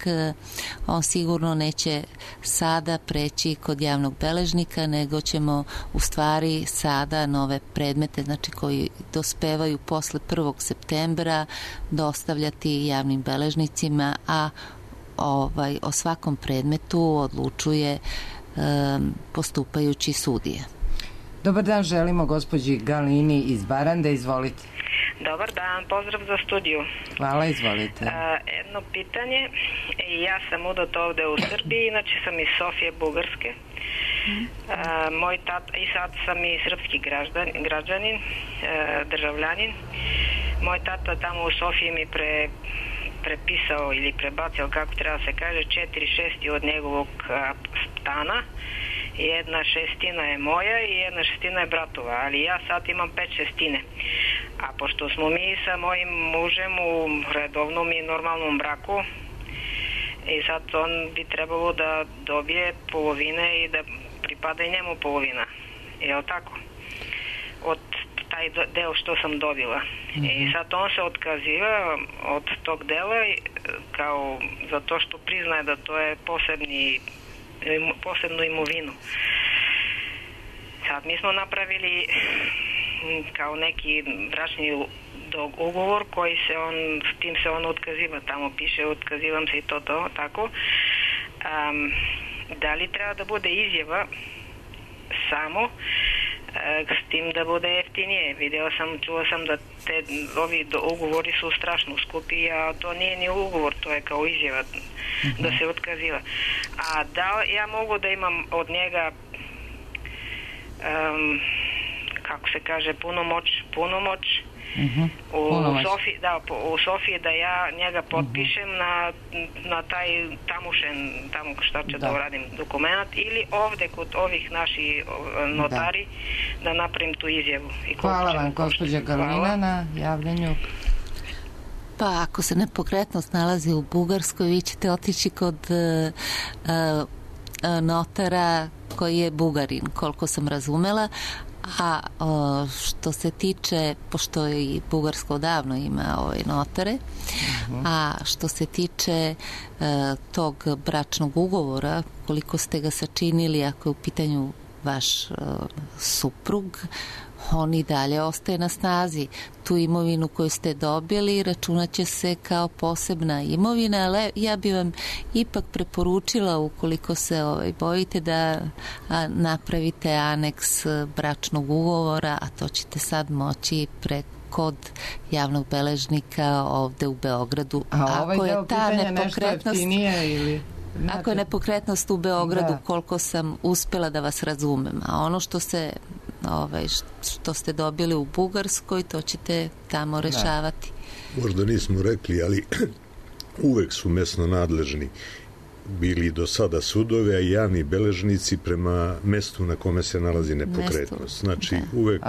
on sigurno neće sada preći kod javnog beležnika, nego ćemo u stvari sada nove predmete, znači koji dospevaju posle prvog septembra, dostavljati javnim beležnicima, a ovaj, o svakom predmetu odlučuje um, postupajući sudije.
Dobar dan, želimo gospođi Galini iz Barande, izvolite.
Dobar dan, pozdrav za studiju.
Hvala, izvolite.
A, jedno pitanje, ja sam udata ovde u Srbiji, inače sam iz Sofije, Bugarske. A, moj tata, i sad sam i srpski građan, građanin, a, državljanin. Moj tata tamo u Sofiji mi pre, prepisao ili prebacio, kako treba se kaže, četiri šesti od njegovog a, stana. Jedna šestina je moja i jedna šestina je bratova, ali ja sad imam pet šestine. A pošto smo mi sa mojim mužem u redovnom i normalnom braku, i sad on bi trebalo da dobije polovine i da pripada i njemu polovina. Je li tako? Od taj deo što sam dobila. Mm-hmm. I sad on se otkaziva od tog dela kao zato što priznaje da to je posebni posebnu imovinu. Sad mi smo napravili kao neki bračni ugovor koji se on, s tim se on otkaziva, tamo piše otkazivam se i to to, tako. Um, da li treba da bude izjava samo uh, s tim da bude F jeftinije. Video sam, čuo sam da te ovi ugovori su strašno skupi, a to nije ni ugovor, to je kao izjava uh-huh. da se otkaziva. A da ja mogu da imam od njega um, kako se kaže, punomoć, punomoć
Uh-huh.
U, u, Sofiji, da, u Sofiji da ja njega potpišem uh-huh. na, na taj tamušen, tamo šta će da, da uradim dokument, ili ovde kod ovih naših notari da, da napravim tu izjavu. I
hvala vam, gospođa Galina, na javljanju.
Pa ako se nepokretnost nalazi u Bugarskoj, vi ćete otići kod uh, uh, notara koji je Bugarin, koliko sam razumela. A o, što se tiče, pošto i Bugarsko davno ima ove notare, uh-huh. a što se tiče e, tog bračnog ugovora, koliko ste ga sačinili, ako je u pitanju vaš e, suprug, on i dalje ostaje na snazi. Tu imovinu koju ste dobili računat će se kao posebna imovina, ali ja bi vam ipak preporučila, ukoliko se ovaj, bojite, da a, napravite aneks bračnog ugovora, a to ćete sad moći preko kod javnog beležnika ovde u Beogradu.
A ovaj ako je ta nepokretnost ili... Znači,
ako je nepokretnost u Beogradu, da. Koliko sam uspela da vas razumem, a ono što se ovaj, što ste dobili u Bugarskoj, to ćete tamo rešavati.
Da. Možda nismo rekli, ali uvek su mesno nadležni bili do sada sudove, a i javni beležnici prema mestu na kome se nalazi nepokretnost. Znači, da, uvek,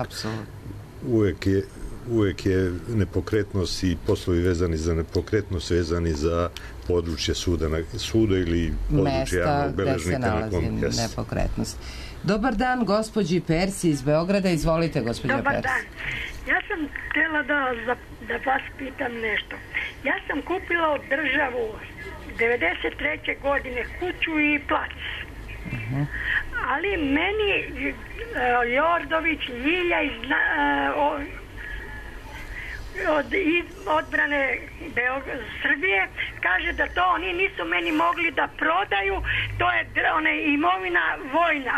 uvek je uvek je nepokretnost i poslovi vezani za nepokretnost vezani za područje suda, na, suda ili područje javnog beležnika na kom
mesta gde se nalazi nepokretnost. Dobar dan, gospođi Persi iz Beograda. Izvolite, gospođo Persi.
Dobar dan. Ja sam htjela da, da vas pitam nešto. Ja sam kupila od državu devedeset treće godine kuću i plac. Uh-huh. Ali meni uh, Jordović, Ljilja iz uh, od odbrane Beograd, Srbije kaže da to oni nisu meni mogli da prodaju, to je one imovina vojna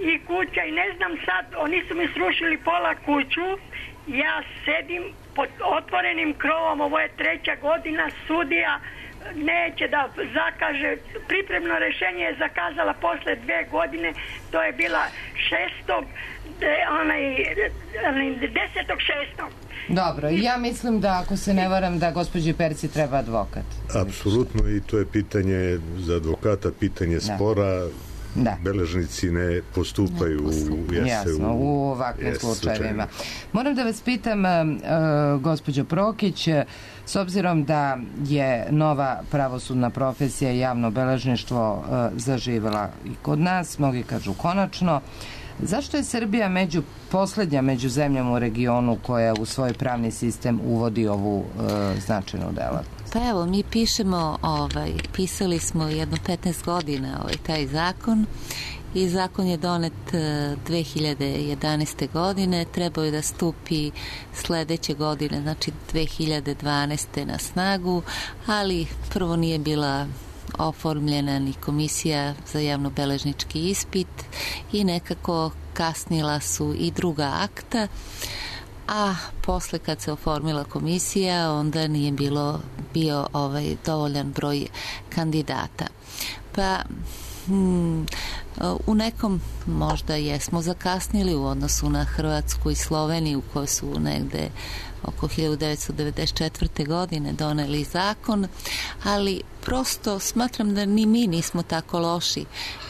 i kuća i ne znam sad, oni su mi srušili pola kuću, ja sedim pod otvorenim krovom, ovo je treća godina, sudija neće da zakaže, pripremno rešenje je zakazala posle dve godine, to je bila šestog onaj desetog šestog
Dobro, ja mislim da, ako se ne varam, da gospođi Perci treba advokat.
Apsolutno, i to je pitanje za advokata, pitanje spora. Da. Beležnici ne postupaju ne postupaju.
U, jasno, u, u ovakvim jes, slučajevima. Moram da vas pitam, uh, gospođo Prokić, s obzirom da je nova pravosudna profesija i javno beležništvo uh, zaživela i kod nas, mnogi kažu konačno, zašto je Srbija među poslednja među zemljama u regionu koja u svoj pravni sistem uvodi ovu uh, značajnu delatnost?
Pa evo, mi pišemo, ovaj, pisali smo jedno petnaest godina ovaj, taj zakon i zakon je donet dve hiljade jedanaeste. godine, trebao je da stupi sledeće godine, znači dve hiljade dvanaeste. na snagu, ali prvo nije bila oformljena ni komisija za javnobeležnički ispit i nekako kasnila su i druga akta, a posle kad se oformila komisija onda nije bilo bio ovaj dovoljan broj kandidata. Pa hmm, u nekom možda jesmo zakasnili u odnosu na Hrvatsku i Sloveniju koje su negde oko hiljadu devetsto devedeset četvrte. godine doneli zakon, ali prosto smatram da ni mi nismo tako loši.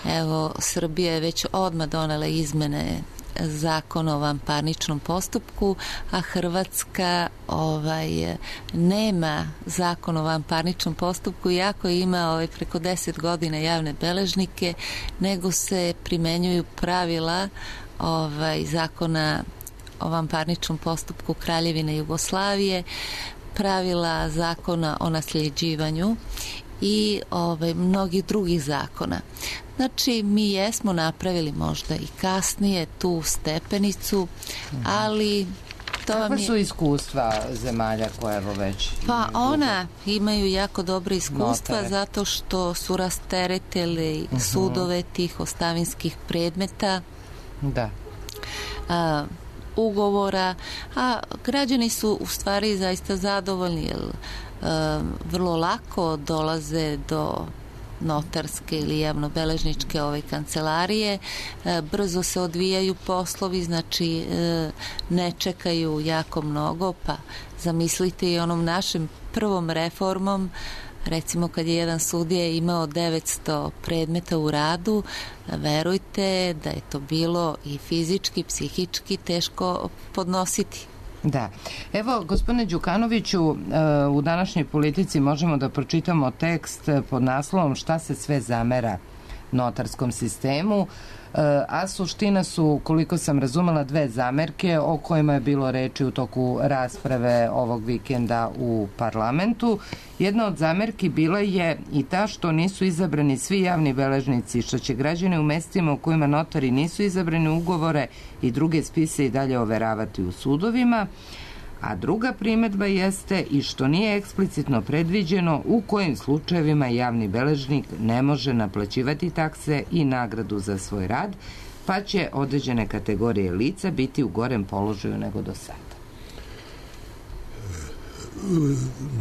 Evo, Srbija je već odmah donela izmene zakona o vanparničnom postupku, a Hrvatska ovaj, nema zakon o vanparničnom postupku, iako ima ovaj, preko deset godina javne beležnike, nego se primenjuju pravila ovaj, zakona o vanparničnom postupku Kraljevine Jugoslavije, pravila zakona o nasljeđivanju i ovaj, mnogih drugih zakona. Znači, mi jesmo napravili možda i kasnije tu stepenicu, ali to vam je...
Kakva su iskustva zemalja koje evo već...
Pa ona imaju jako dobre iskustva notare, zato što su rasteretili uh-huh. sudove tih ostavinskih predmeta.
Da.
A, ugovora, a građani su u stvari zaista zadovoljni, jer vrlo lako dolaze do notarske ili javnobeležničke ove kancelarije, brzo se odvijaju poslovi, znači ne čekaju jako mnogo, pa zamislite i onom našem prvom reformom, recimo kad je jedan sudija imao devetsto predmeta u radu, verujte da je to bilo i fizički, psihički teško podnositi.
Da. Evo, gospodine Đukanoviću, u današnjoj Politici možemo da pročitamo tekst pod naslovom Šta se sve zamera notarskom sistemu, a suština su, koliko sam razumela, dve zamerke o kojima je bilo reči u toku rasprave ovog vikenda u parlamentu. Jedna od zamerki bila je i ta što nisu izabrani svi javni beležnici, što će građani u mestima u kojima notari nisu izabrani ugovore i druge spise i dalje overavati u sudovima. A druga primedba jeste i što nije eksplicitno predviđeno u kojim slučajevima javni beležnik ne može naplaćivati takse i nagradu za svoj rad, pa će određene kategorije lica biti u gorem položaju nego do sada.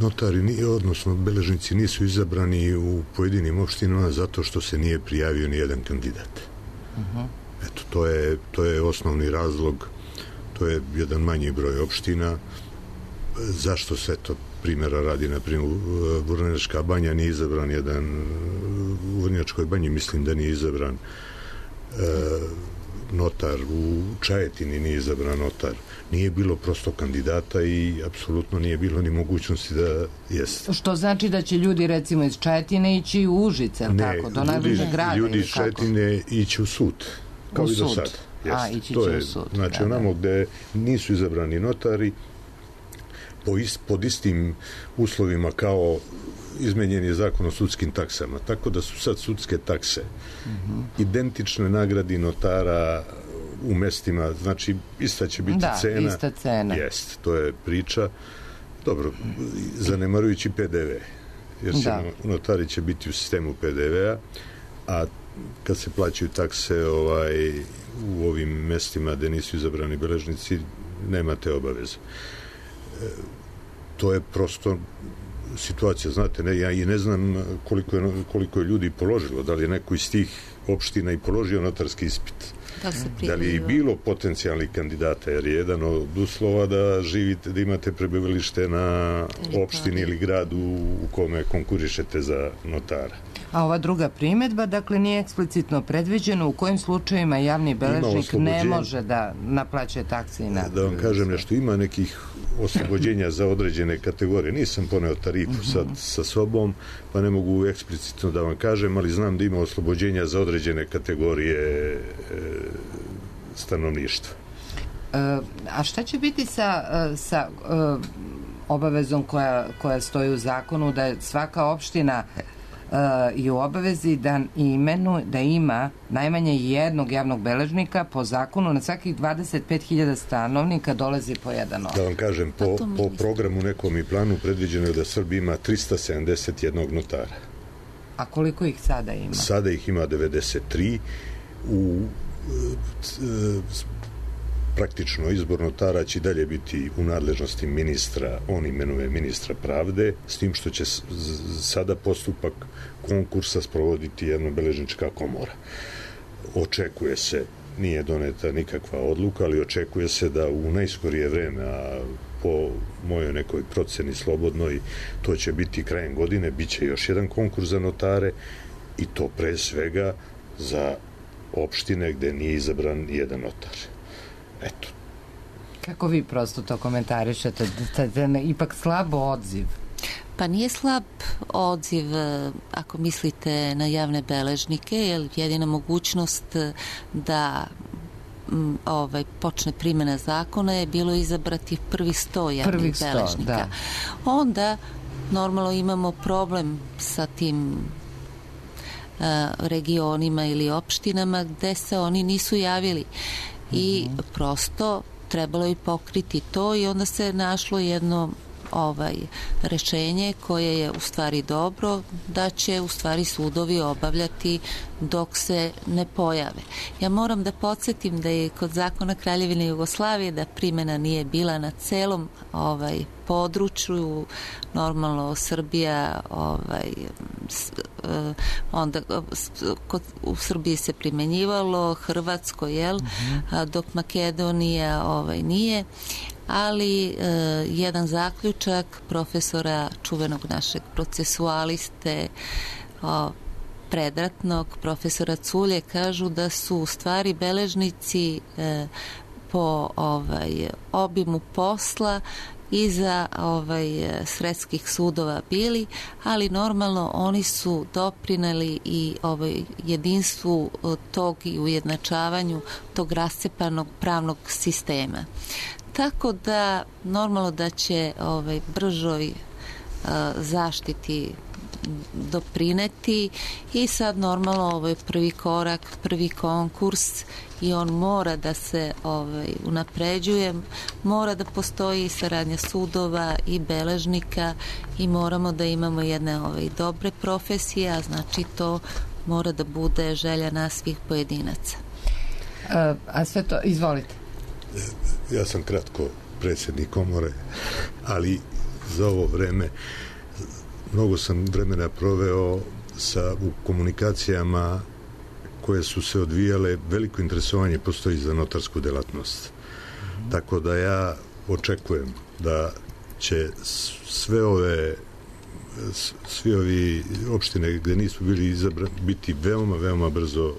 Notari, odnosno beležnici, nisu izabrani u pojedinim opštinama zato što se nije prijavio ni jedan kandidat. Uh-huh. Eto, to je, to je osnovni razlog. To je jedan manji broj opština. Zašto se to primjera radi? Naprimjer, u Vrnjačka banja nije izabran jedan, u Vrnjačkoj banji mislim da nije izabran e, notar, u Čajetini nije izabran notar. Nije bilo prosto kandidata i apsolutno nije bilo ni mogućnosti da jeste.
Što znači da će ljudi recimo iz Čajetine ići u Užice, ili tako? Do najbližeg grada?
Ljudi iz Čajetine ići u sud, kao u i do sada.
A, ići
to
će
je,
u sud.
Znači,
da,
onamo gde nisu izabrani notari, po ist, pod istim uslovima kao izmenjen je zakon o sudskim taksama. Tako da su sad sudske takse uh-huh. identične nagradi notara u mestima, znači ista će biti
da,
cena.
Da, ista cena.
Jest, to je priča. Dobro, zanemarujući pe de ve, jer će, notari će biti u sistemu pe de vea, a kad se plaćaju takse ovaj, u ovim mestima gde nisu izabrani beležnici, nemate obaveze. E, to je prosto situacija, znate, ne, ja i ne znam koliko je, koliko je ljudi položilo, da li je neko iz tih opština i položio notarski ispit.
Da,
da li je bilo potencijalnih kandidata, jer je jedan od uslova da živite, da imate prebivalište na opštini ili gradu u kome konkurišete za notara.
A ova druga primedba, dakle, nije eksplicitno predviđeno u kojim slučajevima javni beležnik ne može da naplaćuje takse i nagrade.
Da vam kažem nešto, ima nekih oslobođenja za određene kategorije. Nisam poneo tarifu sad sa sobom, pa ne mogu eksplicitno da vam kažem, ali znam da ima oslobođenja za određene kategorije e, stanovništva.
E, a šta će biti sa, sa e, obavezom koja, koja stoji u zakonu da je svaka opština i u obavezi da imenu, da ima najmanje jednog javnog beležnika po zakonu na svakih dvadeset pet hiljada stanovnika dolazi po jedan notar.
Da vam kažem, po, po programu nekom i planu predviđeno je da Srbija ima trista sedamdeset jedan notara.
A koliko ih sada ima?
Sada ih ima devedeset tri. U praktično izbor notara će dalje biti u nadležnosti ministra, on imenuje ministra pravde, s tim što će sada postupak konkursa sprovoditi jednobeležnička komora. Očekuje se, nije doneta nikakva odluka, ali očekuje se da u najskorije vreme, a po mojoj nekoj proceni slobodnoj, to će biti krajem godine, bit će još jedan konkurs za notare i to pre svega za opštine gde nije izabran jedan notar. Eto.
Kako vi prosto to komentarišete? Da je ipak slabo odziv?
Pa nije slab odziv ako mislite na javne beležnike, jer jedina mogućnost da m, ovaj, počne primjena zakona je bilo izabrati prvi sto javnih
Prvih sto,
beležnika.
Da.
Onda normalno imamo problem sa tim a, regionima ili opštinama gde se oni nisu javili. I prosto trebalo je pokriti to i onda se našlo jedno ovaj rešenje koje je u stvari dobro, da će u stvari sudovi obavljati dok se ne pojave. Ja moram da podsjetim da je kod zakona Kraljevine Jugoslavije da primjena nije bila na celom ovaj području, normalno Srbija ovaj onda kod, u Srbiji se primenjivalo, Hrvatsko, jel, mm-hmm. dok Makedonija ovaj nije, ali e, jedan zaključak profesora, čuvenog našeg procesualiste o, predratnog, profesora Culje, kažu da su u stvari beležnici e, po ovaj obimu posla iza ovaj sredskih sudova bili, ali normalno oni su doprineli i ovaj jedinstvu tog i ujednačavanju tog rascepanog pravnog sistema. Tako da normalno da će ovaj bržoj uh, zaštiti doprineti i sad normalno ovaj prvi korak, prvi konkurs i on mora da se ovaj unapređuje, mora da postoji saradnja sudova i beležnika i moramo da imamo jedne ovaj dobre profesije, a znači to mora da bude želja nas svih pojedinaca.
A, a sve to, izvolite.
Ja sam kratko predsjednik komore, ali za ovo vreme mnogo sam vremena proveo sa, u komunikacijama koje su se odvijale, veliko interesovanje postoji za notarsku delatnost. Mm-hmm. Tako da ja očekujem da će sve ove svi ovi opštine gde nisu bili izabrani biti veoma, veoma brzo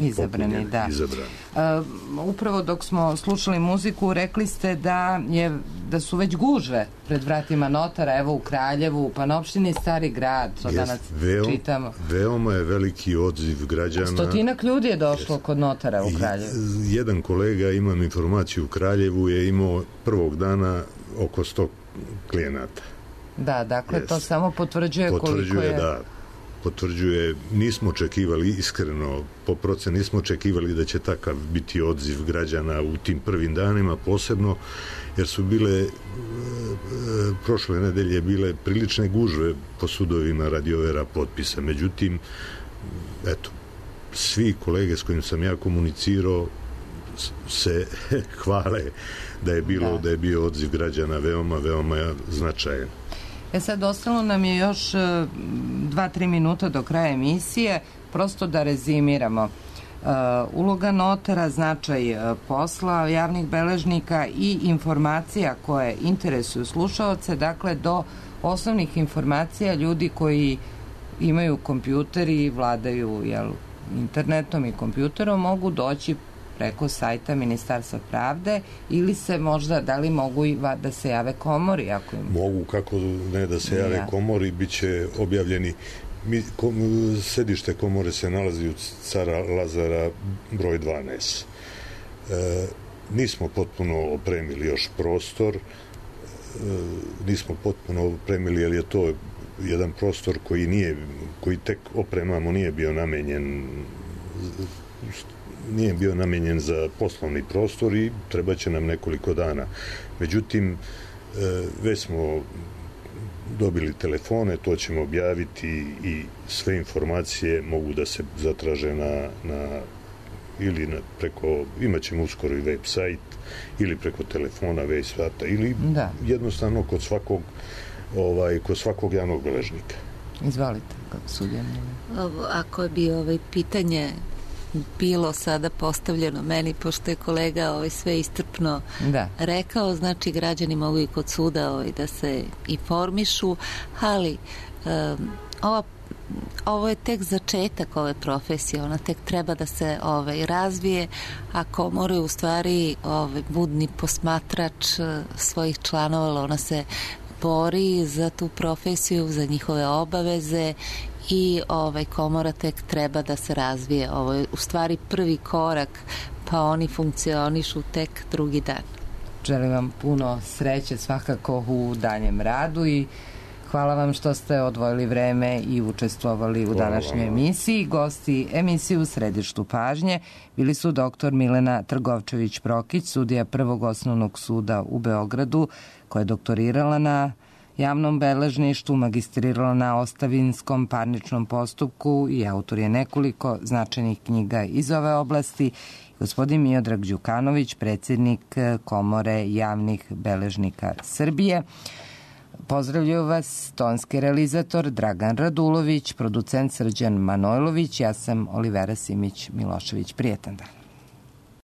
izabrani, da.
Izabrani.
Uh, upravo dok smo slušali muziku, rekli ste da je da su već gužve pred vratima notara, evo u Kraljevu, pa na opštini Stari Grad, to
Jest,
danas
veoma,
čitamo.
Veoma je veliki odziv građana.
Stotinak ljudi je došlo Jest. kod notara u Kraljevu.
I, jedan kolega, imam informaciju u Kraljevu, je imao prvog dana oko sto klijenata.
Da, dakle,
Jest.
to samo potvrđuje,
potvrđuje
koliko je...
da, potvrđuje, nismo očekivali, iskreno, po procenu nismo očekivali da će takav biti odziv građana u tim prvim danima, posebno jer su bile e, e, prošle nedelje bile prilične gužve po sudovima radi overa potpisa. Međutim, eto, svi kolege s kojim sam ja komunicirao se hvale da je bilo, da. da je bio odziv građana veoma, veoma značajan.
E sad, ostalo nam je još dva, tri minuta do kraja emisije, prosto da rezimiramo. Uh, uloga notara, značaj uh, posla javnih beležnika i informacija koje interesuju slušaoce, dakle do osnovnih informacija ljudi koji imaju kompjuter i vladaju jel, internetom i kompjuterom mogu doći preko sajta Ministarstva pravde ili se možda, da li mogu i da se jave komori? Ako im...
Mogu, kako ne da se jave ja. komori, bit će objavljeni. Mi, kom, sedište komore se nalazi u Cara Lazara broj dvanaest. E, nismo potpuno opremili još prostor, e, nismo potpuno opremili, jer je to jedan prostor koji nije, koji tek opremamo, nije bio namenjen nije bio namenjen za poslovni prostor i treba će nam nekoliko dana. Međutim, već smo dobili telefone, to ćemo objaviti i sve informacije mogu da se zatraže na, na ili na, preko, imat ćemo uskoro i web sajt ili preko telefona, web sajta ili da. jednostavno kod svakog ovaj, kod svakog javnog beležnika.
Izvalite, kako sudjeno.
Ako bi ovaj pitanje bilo sada postavljeno meni, pošto je kolega ovaj sve istrpno da. rekao, znači građani mogu i kod suda ovaj, da se informišu, ali um, ova ovo je tek začetak ove profesije, ona tek treba da se ovaj, razvije, a komora je u stvari ovaj, budni posmatrač svojih članova, ona se bori za tu profesiju, za njihove obaveze i ovaj komora tek treba da se razvije. Ovo je u stvari prvi korak, pa oni funkcionišu tek drugi dan.
Želim vam puno sreće svakako u daljem radu i Hvala vam što ste odvojili vreme i učestvovali u današnjoj emisiji. Gosti emisije u središtu pažnje bili su doktor Milena Trgovčević-Prokić, sudija Prvog osnovnog suda u Beogradu, koja je doktorirala na javnom beležništvu, magistrirala na ostavinskom parničnom postupku i autor je nekoliko značajnih knjiga iz ove oblasti. Gospodin Miodrag Đukanović, predsjednik Komore javnih beležnika Srbije. Pozdravljaju vas tonski realizator Dragan Radulović, producent Srđan Manojlović, ja sam Olivera Simić Milošević. Prijetan dan.